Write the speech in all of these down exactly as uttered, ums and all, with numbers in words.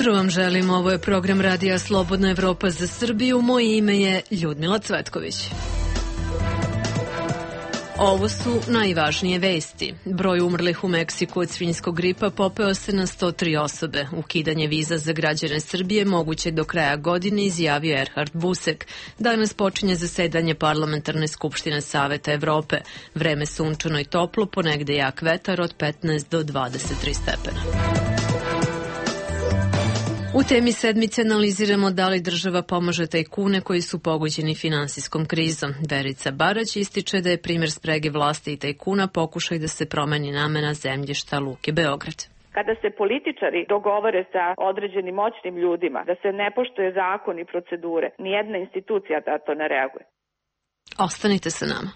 Jutro vam želim, ovo je program Radija Slobodna Evropa za Srbiju, moje ime je Ljudmila Cvetković. Ovo su najvažnije vesti. Broj umrlih u Meksiku od svinjskog gripa popeo se na sto tri osobe. Ukidanje viza za građane Srbije moguće do kraja godine, izjavio Erhard Busek. Danas počinje zasedanje Parlamentarne skupštine Saveta Evrope. Vreme sunčano i toplo, ponegde jak vetar od petnaest do dvadeset tri stepena. U temi sedmice analiziramo da li država pomaže tajkune koji su pogođeni finansijskom krizom. Verica Barać ističe da je primjer sprege vlasti i tajkuna pokušaj da se promeni namena zemljišta Luke Beograd. Kada se političari dogovore sa određenim moćnim ljudima da se ne poštuje zakon i procedure, nijedna institucija da to ne reaguje. Ostanite sa nama.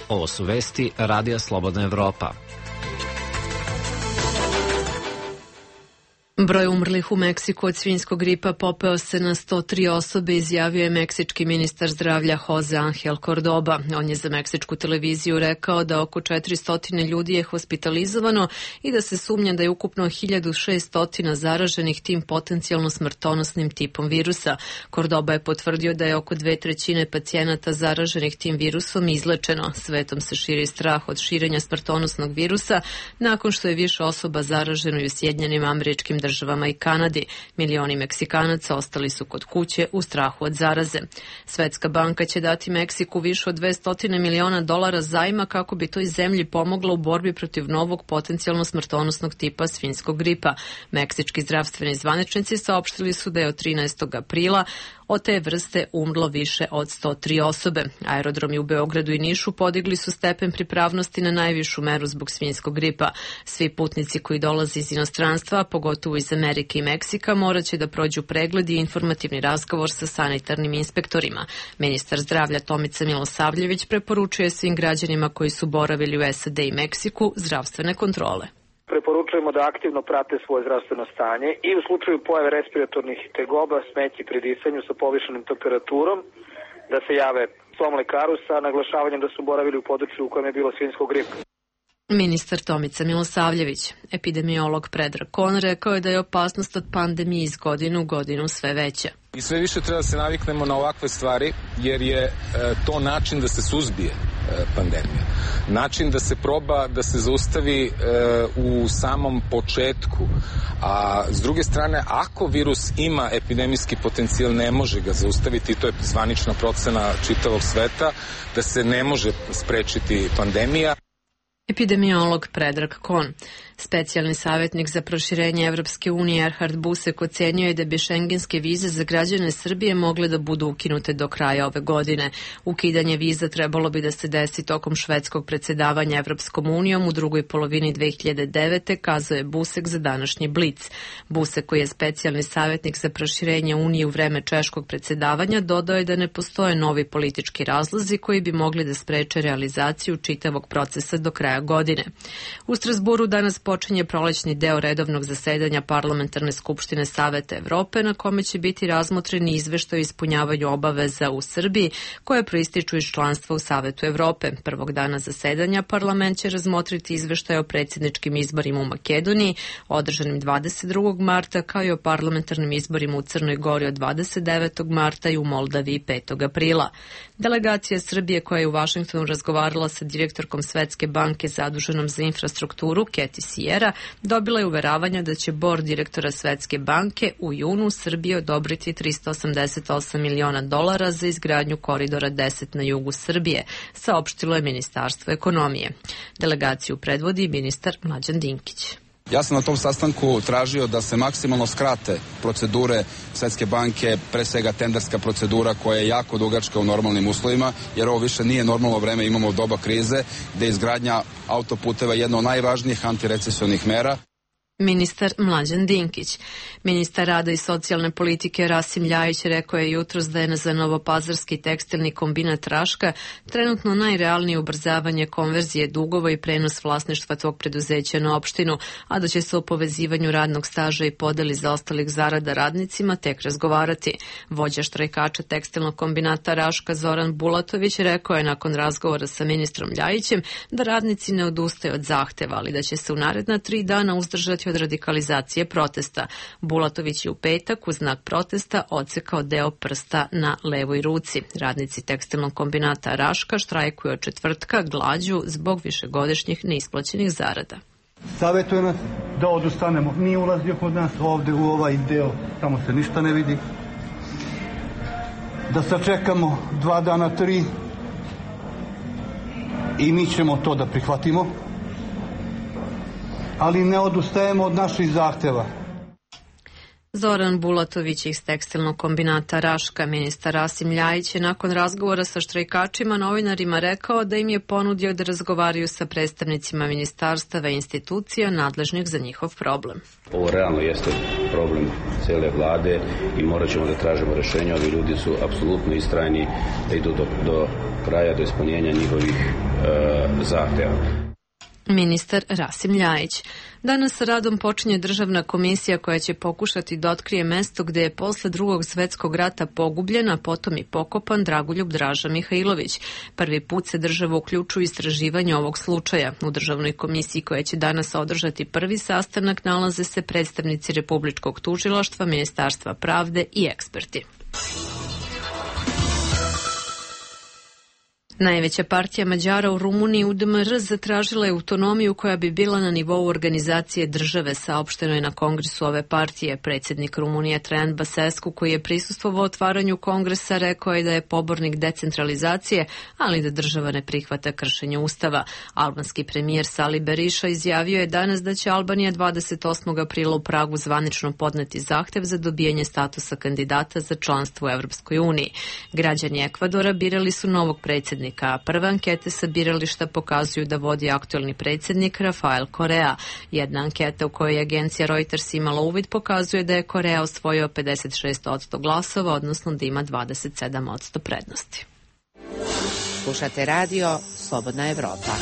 Ovo su vesti Radija Slobodna Evropa. Broj umrlih u Meksiku od svinjskog gripa popeo se na sto tri osobe, izjavio je meksički ministar zdravlja Jose Angel Cordoba. On je za meksičku televiziju rekao da oko četiristo ljudi je hospitalizovano i da se sumnja da je ukupno hiljadu šesto zaraženih tim potencijalno smrtonosnim tipom virusa. Cordoba je potvrdio da je oko dve trećine pacijenata zaraženih tim virusom izlečeno. Svetom se širi strah od širenja smrtonosnog virusa nakon što je više osoba zaraženo i u Sjedinjenim Američkim državama i Kanadi. Milioni Meksikanaca ostali su kod kuće u strahu od zaraze. Svetska banka će dati Meksiku više od dvesta miliona dolara zajma kako bi toj zemlji pomogla u borbi protiv novog potencijalno smrtonosnog tipa svinjskog gripa. Meksički zdravstveni zvaničnici saopštili su da je od trinaestog aprila od te vrste umrlo više od sto tri osobe. Aerodromi u Beogradu i Nišu podigli su stepen pripravnosti na najvišu meru zbog svinjskog gripa. Svi putnici koji dolaze iz inostranstva, pogotovo iz Amerike i Meksika, morat će da prođu pregled i informativni razgovor sa sanitarnim inspektorima. Ministar zdravlja Tomica Milosavljević preporučuje svim građanima koji su boravili u S A D i Meksiku zdravstvene kontrole. Preporučujemo da aktivno prate svoje zdravstveno stanje i u slučaju pojave respiratornih tegoba, smetnji pri disanju sa povišenom temperaturom, da se jave svom lekaru sa naglašavanjem da su boravili u području u kojem je bilo svinjskog gripa. Ministar Tomica Milosavljević. Epidemiolog Predrag Kon rekao je da je opasnost od pandemije iz godine u godinu sve veća. I sve više treba da se naviknemo na ovakve stvari, jer je e, to način da se suzbije e, pandemija. Način da se proba da se zaustavi e, u samom početku. A s druge strane, ako virus ima epidemijski potencijal, ne može ga zaustaviti, to je zvanična procena čitavog sveta, da se ne može sprečiti pandemija. Epidemiolog Predrag Kon. Specijalni savjetnik za proširenje Evropske unije Erhard Busek ocenio je da bi šengenske vize za građane Srbije mogle da budu ukinute do kraja ove godine. Ukidanje viza trebalo bi da se desi tokom švedskog predsjedavanja Evropskom unijom u drugoj polovini dve hiljade devete, kazao je Busek za današnji Blic. Busek, koji je specijalni savjetnik za proširenje unije u vreme češkog predsjedavanja, dodao je da ne postoje novi politički razlozi koji bi mogli da spreče realizaciju čitavog procesa do kraja godine. U Strasburu danas počinje prolećni deo redovnog zasedanja Parlamentarne skupštine Saveta Evrope, na kome će biti razmotreni izveštaj o ispunjavanju obaveza u Srbiji koje proističu iz članstva u Savetu Evrope. Prvog dana zasedanja parlament će razmotriti izveštaj o predsjedničkim izborima u Makedoniji, održanim dvadeset drugog marta, kao i o parlamentarnim izborima u Crnoj Gori od dvadeset devetog marta i u Moldaviji petog aprila. Delegacija Srbije, koja je u Vašingtonu razgovarala sa direktorkom Svetske banke zaduženom za infrastrukturu, Keti Sierra, dobila je uveravanja da će bord direktora Svetske banke u junu Srbiji odobriti trista osamdeset osam miliona dolara za izgradnju koridora deset na jugu Srbije, saopštilo je Ministarstvo ekonomije. Delegaciju predvodi ministar Mlađan Dinkić. Ja sam na tom sastanku tražio da se maksimalno skrate procedure Svetske banke, pre svega tenderska procedura koja je jako dugačka u normalnim uslovima, jer ovo više nije normalno vreme, imamo doba krize, gde je izgradnja autoputeva jedna od najvažnijih antirecesionih mera. Ministar Mlađan Dinkić. Ministar rada i socijalne politike Rasim Ljajić rekao je jutros da je za novopazarski tekstilni kombinat Raška trenutno najrealnije ubrzavanje konverzije dugova i prenos vlasništva tog preduzeća na opštinu, a da će se o povezivanju radnog staža i podeli zaostalih zarada radnicima tek razgovarati. Vođa štrajkača tekstilnog kombinata Raška Zoran Bulatović rekao je nakon razgovora sa ministrom Ljajićem da radnici ne odustaju od zahteva, ali da će se u naredna tri dana uzdržati od radikalizacije protesta. Bulatović je u petak u znak protesta odsekao deo prsta na levoj ruci. Radnici tekstilnog kombinata Raška štrajkuju od četvrtka glađu zbog višegodišnjih neisplaćenih zarada. Savjetuje nas da odustanemo. Nije ulazio kod nas ovde u ovaj deo, tamo se ništa ne vidi. Da sačekamo dva dana, tri i mi ćemo to da prihvatimo. Ali ne odustajemo od naših zahteva. Zoran Bulatović iz tekstilnog kombinata Raška. Ministar Rasim Ljajić je nakon razgovora sa štrajkačima novinarima rekao da im je ponudio da razgovaraju sa predstavnicima ministarstava i institucija nadležnih za njihov problem. Ovo realno jeste problem cele vlade i morat ćemo da tražimo rešenje. Ovi ljudi su apsolutno istrajni da idu do, do kraja, do ispunjenja njihovih e, zahteva. Ministar Rasim Ljajić. Danas sa radom počinje državna komisija koja će pokušati da otkrije mesto gde je posle drugog svetskog rata pogubljen, a potom i pokopan Dragoljub Draža Mihajlović. Prvi put se država uključuje u istraživanje ovog slučaja. U državnoj komisiji koja će danas održati prvi sastanak nalaze se predstavnici Republičkog tužilaštva, Ministarstva pravde i eksperti. Najveća partija Mađara u Rumuniji, U D M R, zatražila je autonomiju koja bi bila na nivou organizacije države, saopšteno je na kongresu ove partije. Predsjednik Rumunije Traian Basescu, koji je prisustvovao otvaranju kongresa, rekao je da je pobornik decentralizacije, ali da država ne prihvata kršenje ustava. Albanski premijer Sali Beriša izjavio je danas da će Albanija dvadeset osmog aprila u Pragu zvanično podneti zahtev za dobijanje statusa kandidata za članstvo u Evropskoj uniji. Građani Ekvadora birali su novog predsjednika, a prve ankete sa birališta pokazuju da vodi aktuelni predsjednik Rafael Korea. Jedna anketa u kojoj je agencija Reuters imala uvid pokazuje da je Korea osvojio pedeset šest posto glasova, odnosno da ima dvadeset sedam posto prednosti. Slušate radio Slobodna Evropa.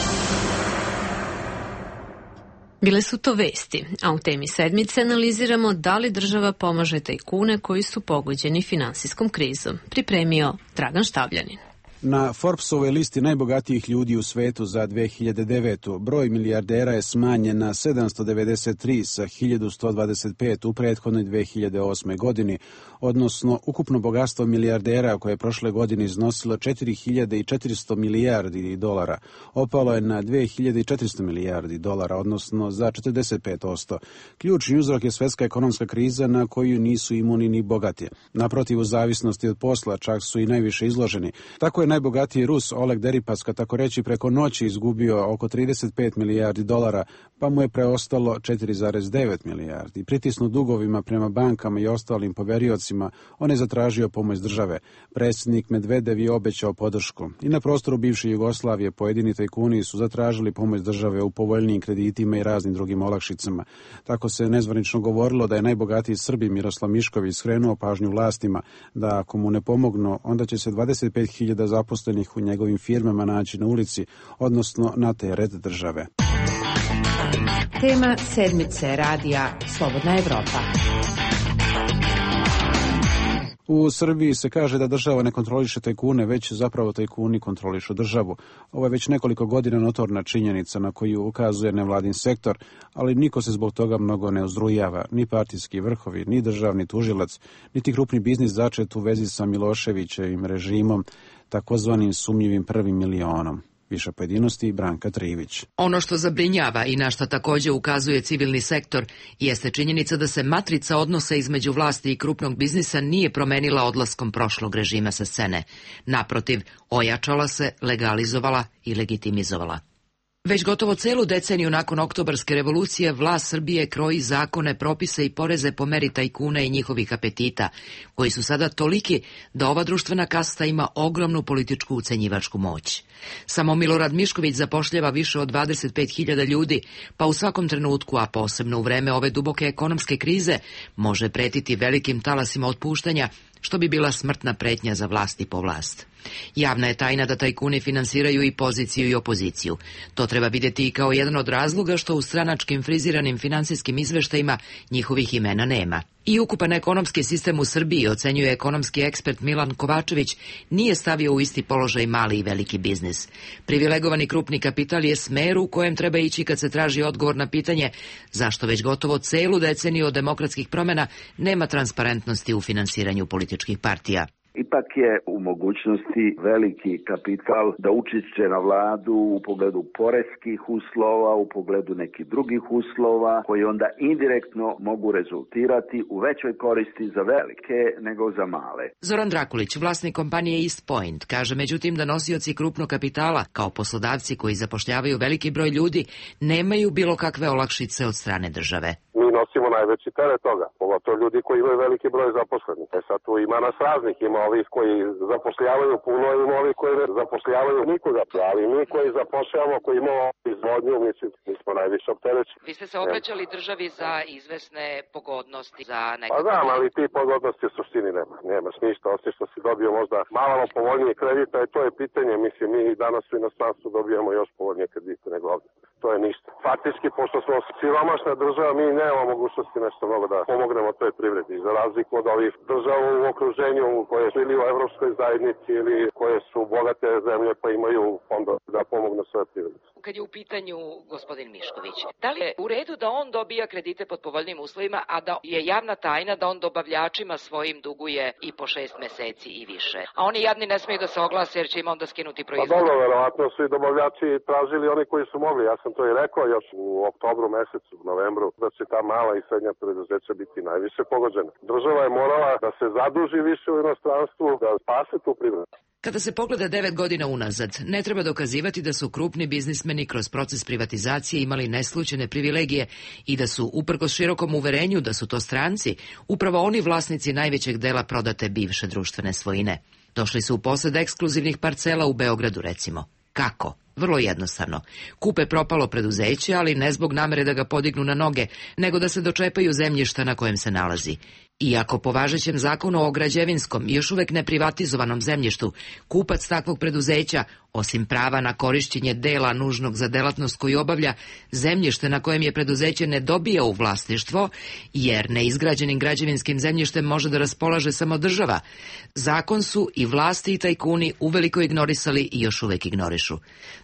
Bile su to vesti, a u temi sedmice analiziramo da li država pomaže tajkune koji su pogođeni finansijskom krizom. Pripremio Dragan Štavljanin. Na Forbesovoj listi najbogatijih ljudi u svetu za dve hiljade devetu. broj milijardera je smanjen na sedamsto devedeset tri sa hiljadu sto dvadeset pet u prethodnoj dve hiljade osme godini, odnosno ukupno bogatstvo milijardera koje je prošle godine iznosilo četiri hiljade četiristo milijardi dolara, opalo je na dve hiljade četiristo milijardi dolara, odnosno za četrdeset pet posto. Ključni uzrok je svetska ekonomska kriza na koju nisu imuni ni bogati. Naprotiv, u zavisnosti od posla čak su i najviše izloženi. Tako je najbogatiji Rus Oleg Deripaska tako reći preko noći izgubio oko trideset pet milijardi dolara, pa mu je preostalo četiri zarez devet milijardi. Pritisnut dugovima prema bankama i ostalim poveriocima, on je zatražio pomoć države. Predsjednik Medvedev je obećao podršku. I na prostoru bivše Jugoslavije pojedini tajkuni su zatražili pomoć države u povoljnijim kreditima i raznim drugim olakšicama. Tako se nezvanično govorilo da je najbogatiji Srbin Miroslav Mišković skrenuo pažnju vlastima da ako mu ne pomognu, onda će se dvadeset pet hiljada zaposlenih u njegovim firmama naći na ulici, odnosno na teret države. Tema sedmice radija Slobodna Evropa. U Srbiji se kaže da država ne kontroliše tajkune, već zapravo tajkuni kontrolišu državu. Ovo je već nekoliko godina notorna činjenica na koju ukazuje nevladin sektor, ali niko se zbog toga mnogo ne uzrujava, ni partijski vrhovi, ni državni tužilac, niti krupni biznis začet u vezi sa Miloševićevim režimom, takozvanim sumnjivim prvim milionom. Više pojedinosti Branka Trivić. Ono što zabrinjava i na što također ukazuje civilni sektor jeste činjenica da se matrica odnosa između vlasti i krupnog biznisa nije promenila odlaskom prošlog režima sa scene. Naprotiv, ojačala se, legalizovala i legitimizovala. Već gotovo celu deceniju nakon Oktobarske revolucije vlast Srbije kroji zakone, propise i poreze po meri tajkuna i njihovih apetita, koji su sada toliki da ova društvena kasta ima ogromnu političku ucenjivačku moć. Samo Milorad Mišković zapošljava više od dvadeset pet hiljada ljudi, pa u svakom trenutku, a posebno u vreme ove duboke ekonomske krize, može pretiti velikim talasima otpuštanja, što bi bila smrtna pretnja za vlast i po vlast. Javna je tajna da tajkuni finansiraju i poziciju i opoziciju. To treba vidjeti i kao jedan od razloga što u stranačkim friziranim finansijskim izveštajima njihovih imena nema. I ukupan ekonomski sistem u Srbiji, ocenjuje ekonomski ekspert Milan Kovačević, nije stavio u isti položaj mali i veliki biznis. Privilegovani krupni kapital je smer u kojem treba ići kad se traži odgovor na pitanje zašto već gotovo celu deceniju od demokratskih promjena nema transparentnosti u finansiranju političkih partija. Ipak je u mogućnosti veliki kapital da učešće na vladu u pogledu poreskih uslova, u pogledu nekih drugih uslova, koji onda indirektno mogu rezultirati u većoj koristi za velike nego za male. Zoran Drakulić, vlasnik kompanije East Point, kaže međutim da nosioci krupnog kapitala, kao poslodavci koji zapošljavaju veliki broj ljudi, nemaju bilo kakve olakšice od strane države. Mi nosimo najveći teret toga, pogotovo ljudi koji imaju veliki broj zaposlenih. E sad tu ima nas raznih, ima ovih koji zapošljavaju puno, ima ovih koji ne zapošljavaju nikoga, ali mi koji zapošljavamo, koji imamo izvodnju, mislim, mi smo najviše opterećeni. Vi ste se obraćali državi za izvesne pogodnosti, za nekako... Pa znam, ali ti pogodnosti u suštini nema, nemaš ništa, osim što si dobio možda malo povoljnije kredita, i to je pitanje, mislim, mi danas u inostranstvu dobijamo još povoljnije kredite nego ovdje. To je ništa. Faktički, pošto smo siromašna država, mi nemamo mogućnosti nešto mnogo da pomognemo toj privredi, za razliku od ovih država u okruženju koje su ili u Evropskoj zajednici ili koje su bogate zemlje pa imaju fondove da pomognu svoje privredi. Kad je u pitanju gospodin Mišković, da li je u redu da on dobija kredite pod povoljnim uslovima, a da je javna tajna da on dobavljačima svojim duguje i po šest meseci i više? A oni jadni ne smiju da se oglase jer će im onda skinuti proizvod. Pa dobro, verovatno su i dobavljači tražili oni koji su mogli. Ja sam to i rekao još u oktobru mesecu, u novembru, da će ta mala i srednja preduzeća biti najviše pogođena. Država je morala da se zaduži više u inostranstvu, da spase tu privredu. Kada se pogleda devet godina unazad, ne treba dokazivati da su krupni biznismeni kroz proces privatizacije imali neslućene privilegije i da su, uprkos širokom uverenju da su to stranci, upravo oni vlasnici najvećeg dela prodate bivše društvene svojine. Došli su u posed ekskluzivnih parcela u Beogradu, recimo. Kako? Vrlo jednostavno. Kupe propalo preduzeće, ali ne zbog namere da ga podignu na noge, nego da se dočepaju zemljišta na kojem se nalazi. Iako po važećem zakonu o građevinskom i još uvek neprivatizovanom zemljištu, kupac takvog preduzeća, osim prava na korišćenje dela nužnog za delatnost koju obavlja, zemljište na kojem je preduzeće ne dobija u vlasništvo, jer neizgrađenim građevinskim zemljištem može da raspolaže samo država, zakon su i vlasti i tajkuni uveliko ignorisali i još uvek ignorišu.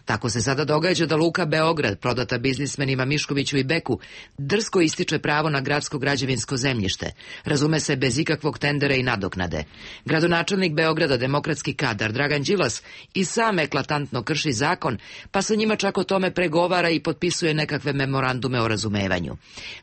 Tako se sada događa da Luka Beograd, prodata biznismenima Miškoviću i Beku, drsko ističe pravo na gradsko građevinsko zemljište, razume se bez ikakvog tendera i nadoknade. Gradonačelnik Beograda, demokratski kadar Dragan Đilas, i sam eklatantno krši zakon, pa sa njima čak o tome pregovara i potpisuje nekakve memorandume o razumevanju.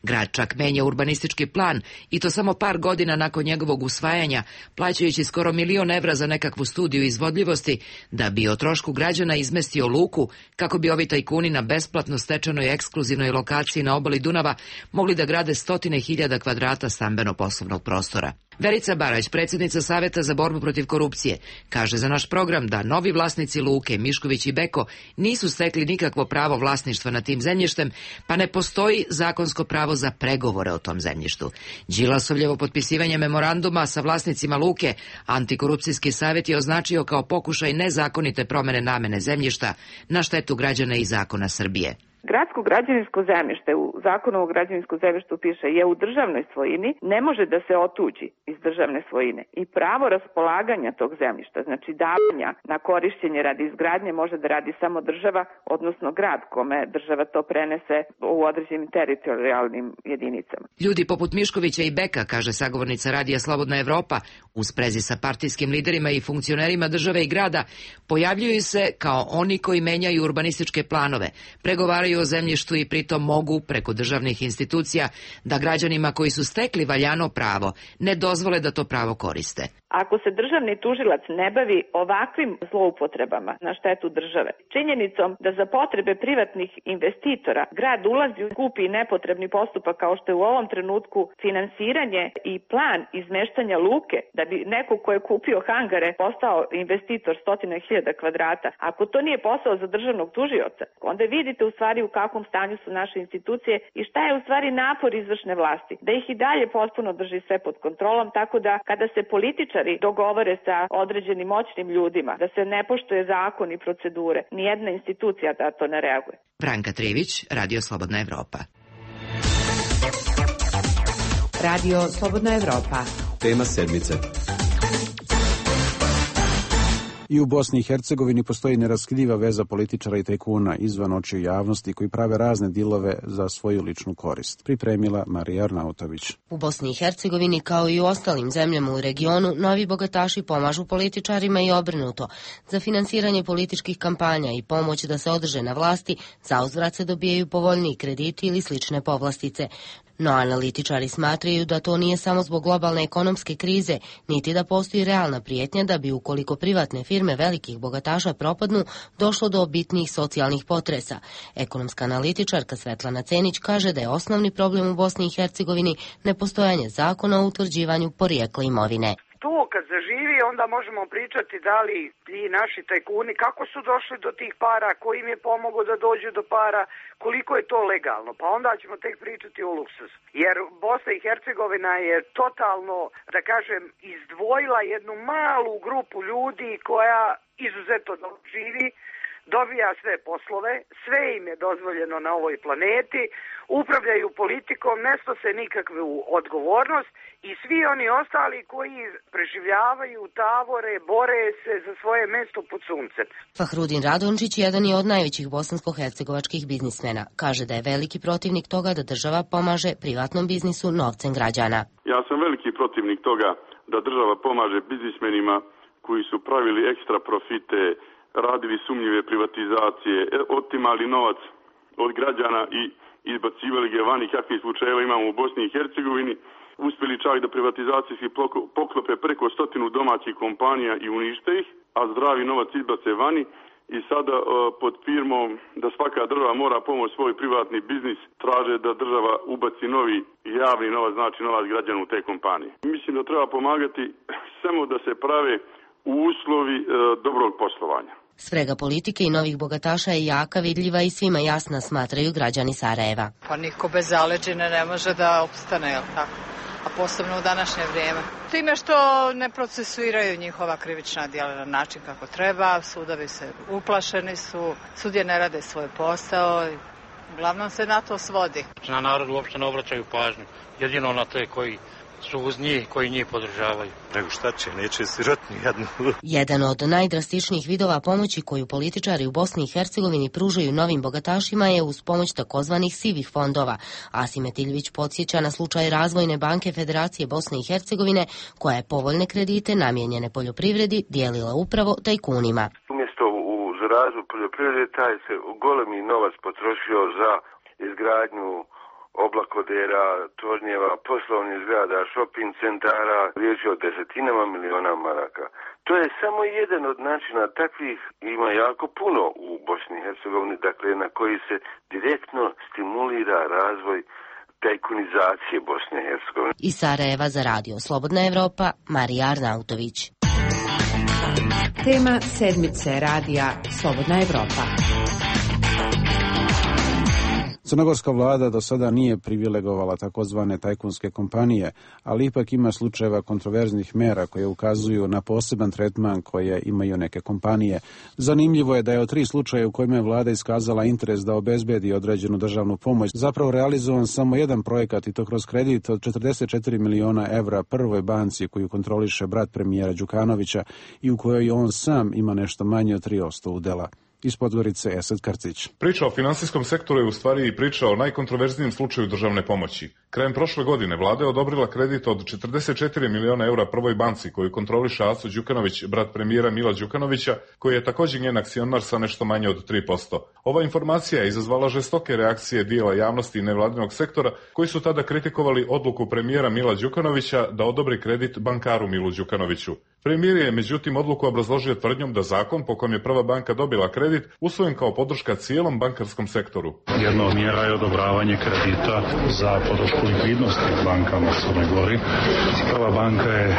Grad čak menja urbanistički plan, i to samo par godina nakon njegovog usvajanja, plaćajući skoro milion evra za nekakvu studiju izvodljivosti, da bi o trošku građana izmestio luku, kako bi ovi tajkuni na besplatno stečenoj ekskluzivnoj lokaciji na obali Dunava mogli da grade stotine hiljada kvadrata stambeno-poslovnog prostora. Verica Barać, predsjednica Saveta za borbu protiv korupcije, kaže za naš program da novi vlasnici luke, Mišković i Beko, nisu stekli nikakvo pravo vlasništva nad tim zemljištem, pa ne postoji zakonsko pravo za pregovore o tom zemljištu. Đilasovljevo potpisivanje memoranduma sa vlasnicima luke Antikorupcijski savjet je označio kao pokušaj nezakonite promene namene zemljišta na štetu građana i zakona Srbije. Gradsko građevinsko zemljište, u zakonu o građevinskom zemljištu piše, je u državnoj svojini, ne može da se otuđi iz državne svojine. I pravo raspolaganja tog zemljišta, znači davanja na korišćenje radi izgradnje, može da radi samo država, odnosno grad kome država to prenese u određenim teritorijalnim jedinicama. Ljudi poput Miškovića i Beka, kaže sagovornica Radija Slobodna Evropa, u sprezi sa partijskim liderima i funkcionerima države i grada, pojavljuju se kao oni koji menjaju urbanističke planove, pregovaraju o zemljištu i pritom mogu, preko državnih institucija, da građanima koji su stekli valjano pravo ne dozvole da to pravo koriste. Ako se državni tužilac ne bavi ovakvim zloupotrebama na štetu države, činjenicom da za potrebe privatnih investitora grad ulazi u skupi nepotrebni postupak kao što je u ovom trenutku finansiranje i plan izmeštanja luke da bi neko ko je kupio hangare postao investitor stotina hiljada kvadrata, ako to nije posao za državnog tužioca, onda vidite u stvari u kakvom stanju su naše institucije i šta je u stvari napor izvršne vlasti, da ih i dalje potpuno drži sve pod kontrolom, tako da kada se političari dogovore sa određenim moćnim ljudima, da se ne poštuje zakon i procedure, nijedna institucija da to ne reaguje. Branka Trivić, Radio Slobodna Evropa. Radio Slobodna Evropa. Tema sedmice. I u Bosni i Hercegovini postoji neraskidiva veza političara i tajkuna izvan očiju javnosti koji prave razne dilove za svoju ličnu korist. Pripremila Marija Arnautović. U Bosni i Hercegovini, kao i u ostalim zemljama u regionu, novi bogataši pomažu političarima i obrnuto. Za finansiranje političkih kampanja i pomoć da se održe na vlasti, zauzvrat se dobijaju povoljniji krediti ili slične povlastice. No analitičari smatraju da to nije samo zbog globalne ekonomske krize, niti da postoji realna prijetnja da bi ukoliko privatne firme velikih bogataša propadnu, došlo do bitnijih socijalnih potresa. Ekonomska analitičarka Svetlana Cenić kaže da je osnovni problem u Bosni i Hercegovini nepostojanje zakona o utvrđivanju porijekla imovine. To kad zaživi, onda možemo pričati da li ti naši tajkuni, kako su došli do tih para, ko im je pomogao da dođu do para, koliko je to legalno, pa onda ćemo tek pričati o luksuzu. Jer Bosna i Hercegovina je totalno, da kažem, izdvojila jednu malu grupu ljudi koja izuzetno dobro živi, dobija sve poslove, sve im je dozvoljeno na ovoj planeti, upravljaju politikom, ne snose nikakvu odgovornost i svi oni ostali koji preživljavaju, tavore, bore se za svoje mesto pod suncem. Fahrudin Radončić jedan je od najvećih bosansko-hercegovačkih biznismena. Kaže da je veliki protivnik toga da država pomaže privatnom biznisu novcem građana. Ja sam veliki protivnik toga da država pomaže biznismenima koji su pravili ekstra profite, radili sumnjive privatizacije, otimali novac od građana i izbacivali ga vani, kakvih slučajeva imamo u Bosni i Hercegovini, uspjeli čak da privatizacijski poklope preko stotinu domaćih kompanija i unište ih, a zdravi novac izbace vani i sada uh, pod firmom da svaka država mora pomoći svoj privatni biznis, traže da država ubaci novi javni novac, znači novac građana u te kompanije. Mislim da treba pomagati samo da se prave uslovi uh, dobrog poslovanja. Sprega politike i novih bogataša je jaka, vidljiva i svima jasna, smatraju građani Sarajeva. Pa niko bez zaleđine ne može da opstane, jel tako? A posebno u današnje vrijeme. Time što ne procesuiraju njihova krivična djela na način kako treba, sudovi se uplašeni su, sudije ne rade svoj posao, uglavnom se na to svodi. Na narod uopšte ne obraćaju pažnju, jedino na te koji su uz njih, koji njih podržavaju. Nego šta će, neće sirotni jednu. Jedan od najdrastičnijih vidova pomoći koju političari u Bosni i Hercegovini pružaju novim bogatašima je uz pomoć takozvanih sivih fondova. Asim Etiljvić podsjeća na slučaj Razvojne banke Federacije Bosne i Hercegovine, koja je povoljne kredite namijenjene poljoprivredi dijelila upravo tajkunima. Umjesto u razvoj poljoprivrede, taj se golemi novac potrošio za izgradnju oblakodera, tornjeva, poslovnih zgrada, shopping centara, riječ je o desetinama miliona maraka. To je samo jedan od načina, takvih ima jako puno u Bosni i Hercegovini, dakle na koji se direktno stimulira razvoj tajkunizacije Bosne i Hercegovine. Iz Sarajeva za Radio Slobodna Evropa, Marija Arnautović. Tema sedmice Radija Slobodna Evropa. Crnogorska vlada do sada nije privilegovala takozvane tajkunske kompanije, ali ipak ima slučajeva kontroverznih mera koje ukazuju na poseban tretman koje imaju neke kompanije. Zanimljivo je da je od tri slučaja u kojima je vlada iskazala interes da obezbedi određenu državnu pomoć, zapravo realizovan samo jedan projekat i to kroz kredit od četrdeset četiri miliona evra prvoj banci koju kontroliše brat premijera Đukanovića i u kojoj on sam ima nešto manje od tri posto udela. Iz Podgorice Esad Krcić. Priča o finansijskom sektoru je u stvari i priča o najkontroverznijem slučaju državne pomoći. Krajem prošle godine vlada je odobrila kredit od četrdeset četiri miliona eura Prvoj banci koju kontroliše Aco Đukanović, brat premijera Mila Đukanovića, koji je također njen akcionar sa nešto manje od tri posto. Ova informacija je izazvala žestoke reakcije dijela javnosti i nevladinog sektora koji su tada kritikovali odluku premijera Mila Đukanovića da odobri kredit bankaru Milu Đukanoviću. Premijer je međutim odluku obrazložio tvrdnjom da zakon po kojem je Prva banka dobila kredit usvojen kao podrška cijelom bankarskom sektoru. Jedna od mjera je odobravanje kredita za podršku likvidnosti bankama u Crnoj Gori. Prva banka je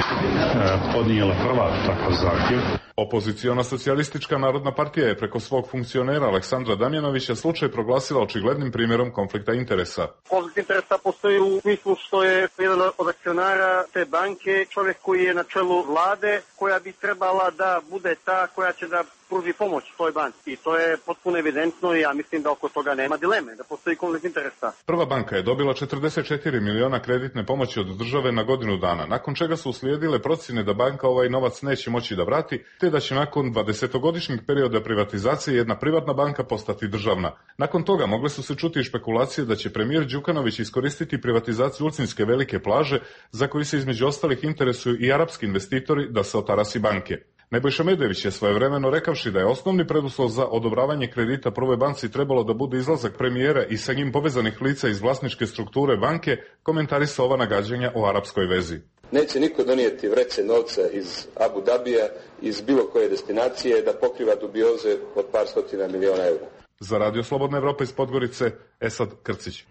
podnijela prva takav zahtjev. Opoziciona socijalistička narodna partija je preko svog funkcionera Aleksandra Damjanovića slučaj proglasila očiglednim primjerom konflikta interesa. Konflikt interesa postoji u smislu što je jedan od akcionara te banke čovjek koji je na čelu vlade koja bi trebala da bude ta koja će da pruži pomoć toj banci. I to je potpuno evidentno i ja mislim da oko toga nema dileme, da postoji konflikt interesa. Prva banka je dobila četrdeset četiri miliona kreditne pomoći od države na godinu dana, nakon čega su uslijedile procjene da banka ovaj novac neće moći da vrati, te da će nakon dvadesetogodišnjeg perioda privatizacije jedna privatna banka postati državna. Nakon toga mogle su se čuti i špekulacije da će premijer Đukanović iskoristiti privatizaciju Ulcinske velike plaže, za koju se između ostalih interesuju i arapski investitori, da se otarasi banke. Nebojša Medević je svojevremeno rekavši da je osnovni preduslov za odobravanje kredita Prvoj banci trebalo da bude izlazak premijera i sa njim povezanih lica iz vlasničke strukture banke, komentarisao ova nagađanja o arapskoj vezi. Neće niko donijeti vreće novca iz Abu Dabija, iz bilo koje destinacije da pokriva dubioze od par stotina miliona eura. Za Radio Slobodna Evropa iz Podgorice, Esad Krcić.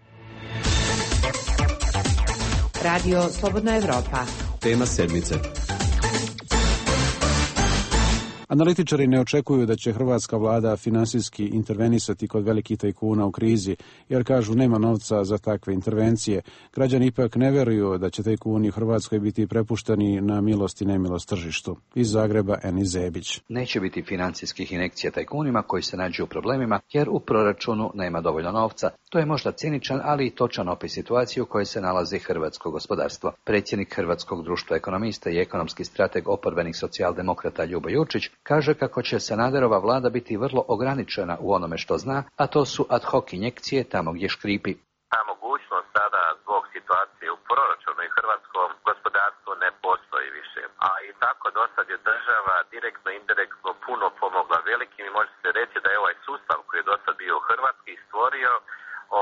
Radio Slobodna Evropa. Tema sedmice. Analitičari ne očekuju da će hrvatska vlada finansijski intervenisati kod velikih tajkuna u krizi, jer kažu nema novca za takve intervencije. Građani ipak ne veruju da će tajkuni u Hrvatskoj biti prepušteni na milost i nemilost tržištu. Iz Zagreba Eni Zebić. Neće biti financijskih injekcija tajkunima koji se nađu u problemima, jer u proračunu nema dovoljno novca. To je možda ciničan, ali i točan opis situacije u kojoj se nalazi hrvatsko gospodarstvo. Predsjednik Hrvatskog društva ekonomista i ekonomski strateg oporbenih socijaldemokrata Ljubo Jurčić kaže kako će Sanaderova vlada biti vrlo ograničena u onome što zna, a to su ad hoc injekcije tamo gdje škripi. Ta mogućnost sada zbog situacije u proračunu i hrvatskom gospodarstvu ne postoji više. A i tako do sad je država direktno, indirektno puno pomogla velikim i može se reći da je ovaj sustav koji je do sad bio hrvatski stvorio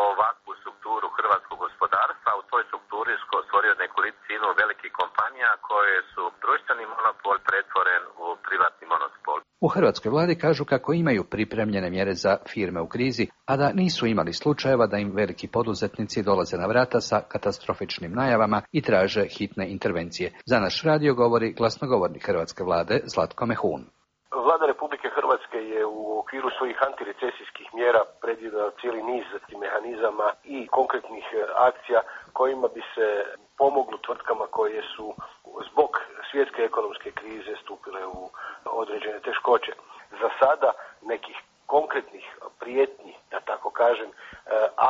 ovakvu strukturu hrvatskog gospodarstva. U toj strukturi stvorio nekolicinu velikih kompanija koje su društveni monopol pretvoren u privatni monopol. U hrvatskoj vladi kažu kako imaju pripremljene mjere za firme u krizi, a da nisu imali slučajeva da im veliki poduzetnici dolaze na vrata sa katastrofičnim najavama i traže hitne intervencije. Za naš radio govori glasnogovornik hrvatske vlade Zlatko Mehun. Vlada Republike Hrvatske je u okviru svojih antirecesijskih mjera predvidjela cijeli niz mehanizama i konkretnih akcija kojima bi se pomoglo tvrtkama koje su zbog svjetske ekonomske krize stupile u određene teškoće. Za sada nekih konkretnih prijetnji, da tako kažem,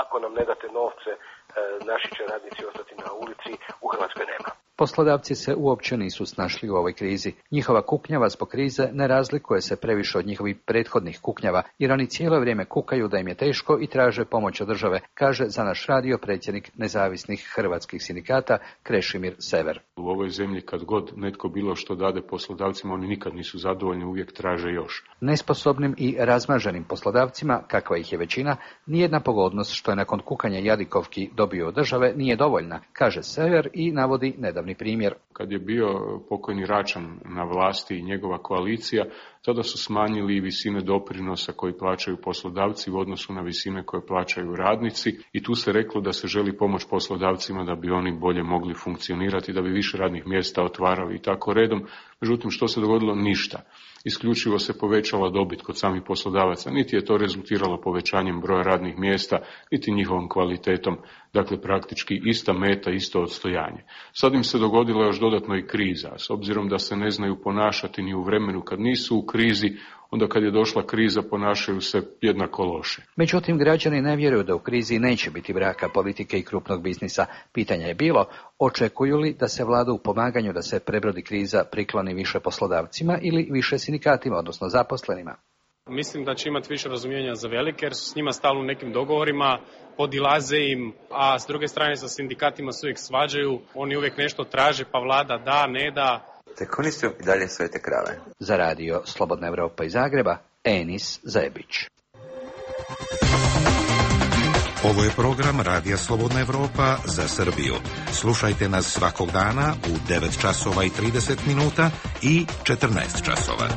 ako nam ne date novce, naši će radnici ostati na ulici, u Hrvatskoj nema. Poslodavci se uopće nisu snašli u ovoj krizi. Njihova kuknjava zbog krize ne razlikuje se previše od njihovih prethodnih kuknjava, jer oni cijelo vrijeme kukaju da im je teško i traže pomoć od države, kaže za naš radio predsjednik nezavisnih hrvatskih sindikata Krešimir Sever. U ovoj zemlji kad god netko bilo što dade poslodavcima, oni nikad nisu zadovoljni, uvijek traže još. Nesposobnim i razmaženim poslodavcima, kakva ih je većina, nijedna pogodnost što je nakon kukanja jadikovki dobio od države nije dovoljna, kaže Sever i navodi nedavni primjer. Kad je bio pokojni Račan na vlasti i njegova koalicija, tada su smanjili visine doprinosa koji plaćaju poslodavci u odnosu na visine koje plaćaju radnici i tu se reklo da se želi pomoć poslodavcima da bi oni bolje mogli funkcionirati, da bi više radnih mjesta otvarali i tako redom. Međutim, što se dogodilo? Ništa. Isključivo se povećala dobit kod samih poslodavaca. Niti je to rezultiralo povećanjem broja radnih mjesta, niti njihovom kvalitetom. Dakle, praktički ista meta, isto odstojanje. Sad im se dogodila još dodatno i kriza. S obzirom da se ne znaju ponašati ni u vremenu kad nisu u krizi, onda kad je došla kriza ponašaju se jednako loše. Međutim, građani ne vjeruju da u krizi neće biti braka politike i krupnog biznisa. Pitanje je bilo, očekuju li da se vlada u pomaganju da se prebrodi kriza prikloni više poslodavcima ili više sindikatima, odnosno zaposlenima? Mislim da će imati više razumijevanja za velike, jer su s njima stalno u nekim dogovorima, podilaze im, a s druge strane sa sindikatima se uvijek svađaju, oni uvijek nešto traže, pa vlada da, ne da. Tek oni su i dalje svete krave. Za radio Slobodna Evropa iz Zagreba, Enis Zebić. Ovo je program Radija Slobodna Evropa za Srbiju. Slušajte nas svakog dana u devet časova i trideset minuta i četrnaest časova.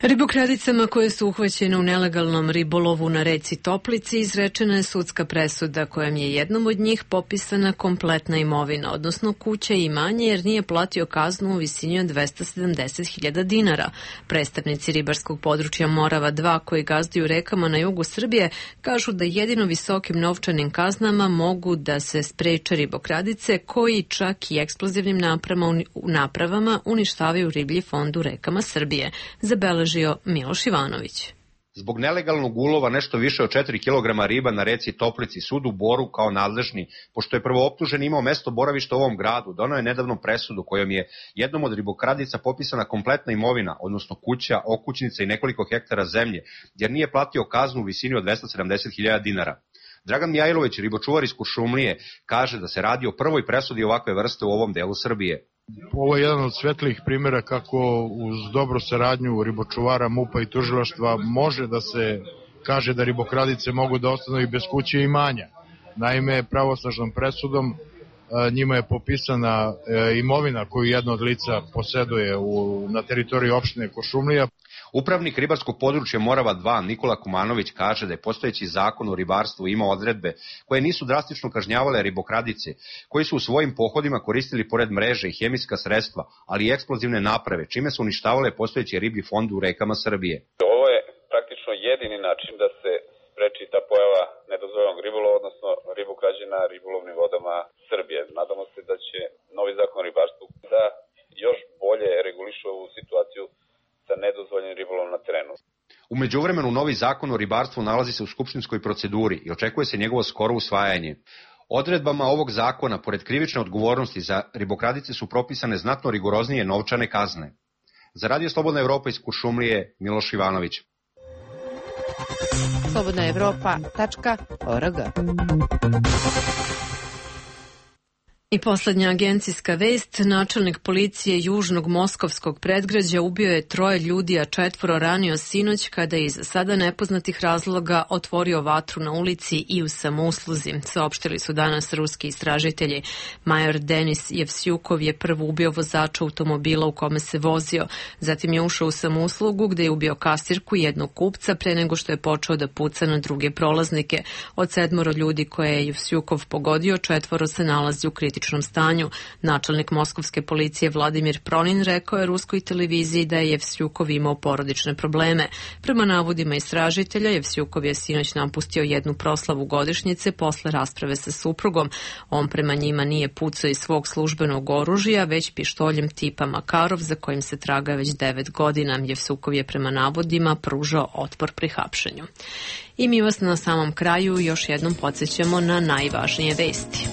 Ribokradicama koje su uhvaćene u nelegalnom ribolovu na reci Toplici izrečena je sudska presuda kojom je jednom od njih popisana kompletna imovina, odnosno kuća i imanje, jer nije platio kaznu u visini od dvesta sedamdeset hiljada dinara. Predstavnici ribarskog područja Morava dva koji gazduju rekama na jugu Srbije kažu da jedino visokim novčanim kaznama mogu da se spreče ribokradice koji čak i eksplozivnim napravama, napravama uništavaju riblji fond u rekama Srbije. Zabeleži Miloš Ivanović. Zbog nelegalnog ulova nešto više od četiri kilograma riba na reci Toplici sud u Boru kao nadležni, pošto je prvooptužen imao mesto boravišta u ovom gradu, doneo je nedavno presudu kojom je jednom od ribokradica popisana kompletna imovina, odnosno kuća, okućnica i nekoliko hektara zemlje, jer nije platio kaznu u visini od dvesta sedamdeset hiljada dinara. Dragan Mijajlović, ribočuvar iz Kuršumlije, kaže da se radi o prvoj presudi ovakve vrste u ovom delu Srbije. Ovo je jedan od svetlih primjera kako uz dobru saradnju ribočuvara, MUP-a i tužilaštva može da se kaže da ribokradice mogu da ostanu i bez kuće i imanja. Naime, pravosnažnom presudom njima je popisana imovina koju jedno od lica poseduje u, na teritoriji opštine Kuršumlija. Upravnik ribarskog područja Morava dva Nikola Kumanović kaže da je postojeći zakon o ribarstvu imao odredbe koje nisu drastično kažnjavale ribokradice, koji su u svojim pohodima koristili pored mreže i hemijska sredstva, ali i eksplozivne naprave, čime su uništavale postojeći riblji fond u rekama Srbije. Ovo je praktično jedini način da se spreči ta pojava nedozvoljenog ribolova, odnosno ribokrađe na ribolovnim vodama Srbije. Nadamo se da će novi zakon o ribarstvu da još bolje reguliše ovu situaciju sa nedozvoljenim ribolovom na terenu. U međuvremenu novi zakon o ribarstvu nalazi se u skupštinskoj proceduri i očekuje se njegovo skoro usvajanje. Odredbama ovog zakona, pored krivične odgovornosti za ribokradice, su propisane znatno rigoroznije novčane kazne. Za Radio Slobodna Evropa iz Kuršumlije, Miloš Ivanović. slobodna evropa tačka org. I poslednja agencijska vest, načelnik policije južnog moskovskog predgrađa ubio je troje ljudi, a četvoro ranio sinoć kada je iz sada nepoznatih razloga otvorio vatru na ulici i u samousluzi. Saopštili su danas ruski istražitelji. Major Denis Jevsjukov je prvo ubio vozača automobila u kome se vozio. Zatim je ušao u samouslugu gde je ubio kasirku i jednog kupca pre nego što je počeo da puca na druge prolaznike. Od sedmoro ljudi koje je Jevsjukov pogodio, četvoro se nalazi u kritičnom stanju. Načelnik moskovske policije Vladimir Pronin rekao je ruskoj televiziji da je Jevsjukov imao porodične probleme. Prema navodima istražitelja, Jevsjukov je sinoć napustio jednu proslavu godišnjice posle rasprave sa suprugom. On prema njima nije pucao iz svog službenog oružja, već pištoljem tipa Makarov, za kojim se traga već devet godina. Jevsjukov je prema navodima pružao otpor pri hapšenju. I mi vas na samom kraju još jednom podsjećamo na najvažnije vesti.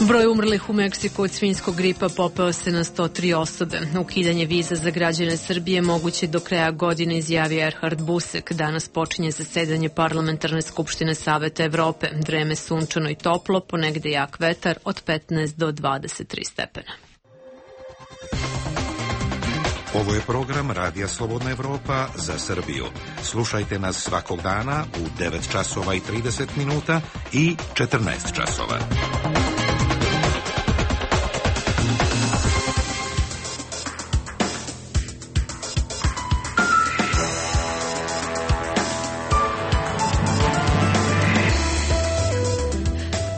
Broj umrlih u Meksiku od svinjskog gripa popeo se na sto tri osobe. Ukidanje viza za građane Srbije moguće do kraja godine, izjavio Erhard Busek. Danas počinje zasedanje Parlamentarne skupštine Saveta Evrope. Vreme sunčano i toplo, ponegde jak vetar od petnaest do dvadeset tri stepena. Ovo je program Radija Slobodna Evropa za Srbiju. Slušajte nas svakog dana u devet časova i trideset minuta i četrnaest časova.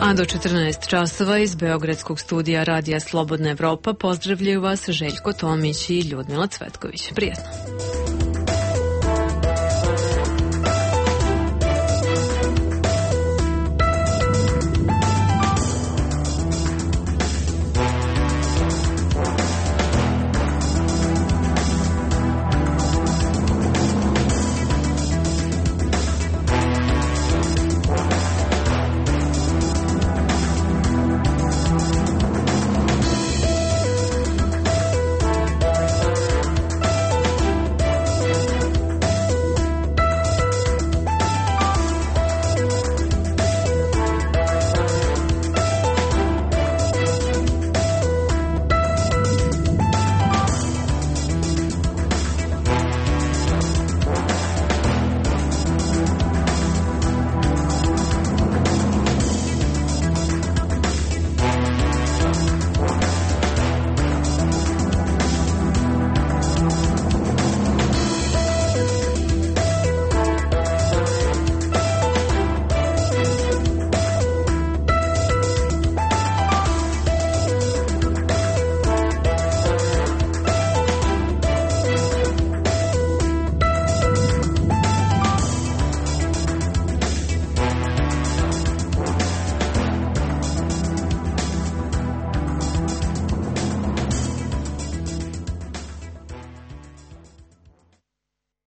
A do četrnaest časova iz Beogradskog studija Radija Slobodna Evropa pozdravljaju vas Željko Tomić i Ljudmila Cvetković. Prijetno.